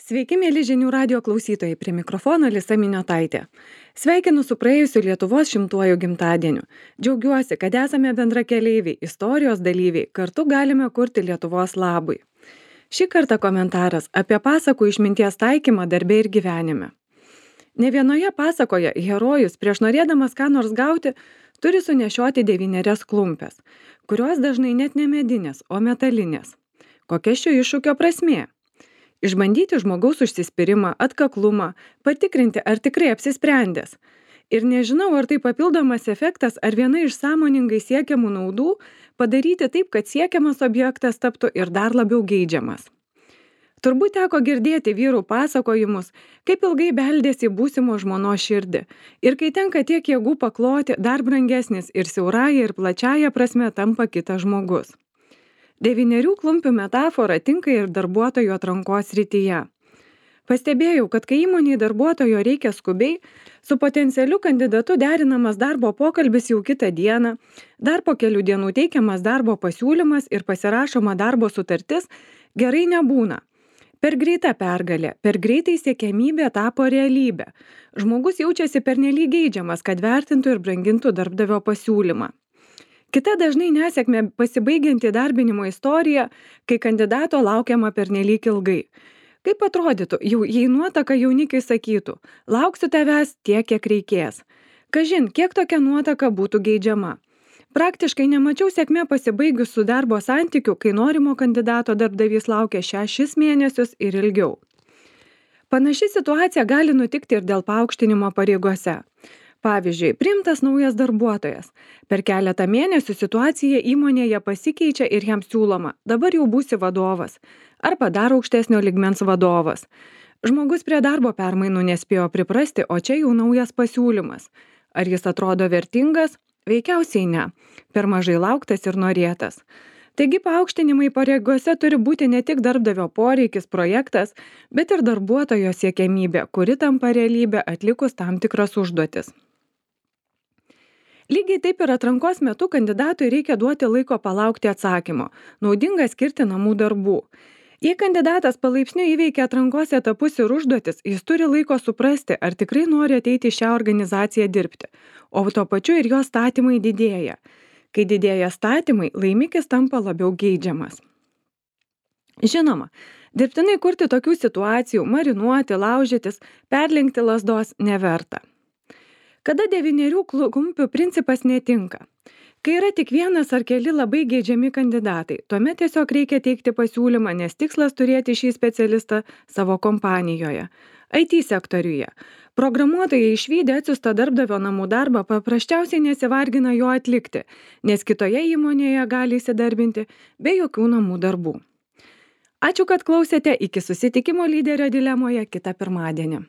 Sveiki, mėly žinių radio klausytojai, prie mikrofono Lisa Miniotaitė. Sveikinu su praėjusiu Lietuvos 100-uoju gimtadieniu. Džiaugiuosi, kad esame bendrakeleiviai, istorijos dalyviai, kartu galime kurti Lietuvos labui. Šį kartą komentaras apie pasakų išminties taikymą darbe ir gyvenime. Ne vienoje pasakoje herojus prieš norėdamas ką nors gauti turi sunešioti 9 klumpes, kurios dažnai net ne medinės, o metalinės. Kokia šio iššūkio prasmė? Išbandyti žmogaus užsispyrimą, atkaklumą, patikrinti, ar tikrai apsisprendęs. Ir nežinau, ar tai papildomas efektas, ar viena iš sąmoningai siekiamų naudų padaryti taip, kad siekiamas objektas taptų ir dar labiau geidžiamas. Turbūt teko girdėti vyrų pasakojimus, kaip ilgai beldėsi į būsimo žmonos širdį. Ir kai tenka tiek jėgų pakloti, dar brangesnis ir siaurąja ir plačiaja prasme tampa kitas žmogus. 9 klumpių metafora tinka ir darbuotojų atrankos srityje. Pastebėjau, kad kai įmonei darbuotojo reikia skubiai, su potencialiu kandidatu derinamas darbo pokalbis jau kitą dieną, dar po kelių dienų teikiamas darbo pasiūlymas ir pasirašoma darbo sutartis, gerai nebūna. Per greita pergalė, per greitai siekiamybė tapo realybė. Žmogus jaučiasi pernelyg geidžiamas, kad vertintų ir brangintų darbdavio pasiūlymą. Kita dažnai nesėkmė pasibaigianti darbinimo istorija, kai kandidato laukiama pernelyg ilgai. Kaip atrodytų, jei nuotaka jaunikiai sakytų, lauksiu tavęs tiek, kiek reikės. Kažin, kiek tokia nuotaka būtų geidžiama. Praktiškai nemačiau sėkmė pasibaigus su darbo santykiu, kai norimo kandidato darbdavys laukia 6 mėnesius ir ilgiau. Panaši situacija gali nutikti ir dėl paaukštinimo pareigose. Pavyzdžiui, priimtas naujas darbuotojas. Per keletą mėnesių situacija įmonėje pasikeičia ir jam siūloma, dabar jau būsi vadovas, arba dar aukštesnio lygmens vadovas. Žmogus prie darbo permainų nespėjo priprasti, o čia jau naujas pasiūlymas. Ar jis atrodo vertingas? Veikiausiai ne. Per mažai lauktas ir norėtas. Taigi paaukštinimai pareigose turi būti ne tik darbdavio poreikis, projektas, bet ir darbuotojo siekiamybė, kuri tampa realybė atlikus tam tikras užduotis. Lygiai taip ir atrankos metu kandidatui reikia duoti laiko palaukti atsakymo. Naudinga skirti namų darbų. Jei kandidatas palaipsniui įveikia atrankos etapus ir užduotis, jis turi laiko suprasti, ar tikrai nori ateiti į šią organizaciją dirbti, o tuo pačiu ir jo statymai didėja. Kai didėja statymai, laimikis tampa labiau geidžiamas. Žinoma, dirbtinai kurti tokių situacijų, marinuoti, laužytis, perlenkti lazdos neverta. Kada 9 klumpių principas netinka? Kai yra tik vienas ar keli labai geidžiami kandidatai, tuomet tiesiog reikia teikti pasiūlymą, nes tikslas turėti šį specialistą savo kompanijoje. IT sektoriuje. Programuotojai išvydę atsiųstą darbdavio namų darbą paprasčiausiai nesivargina jo atlikti, nes kitoje įmonėje gali įsidarbinti be jokių namų darbų. Ačiū, kad klausėte, iki susitikimo lyderio dilemoje kitą pirmadienį.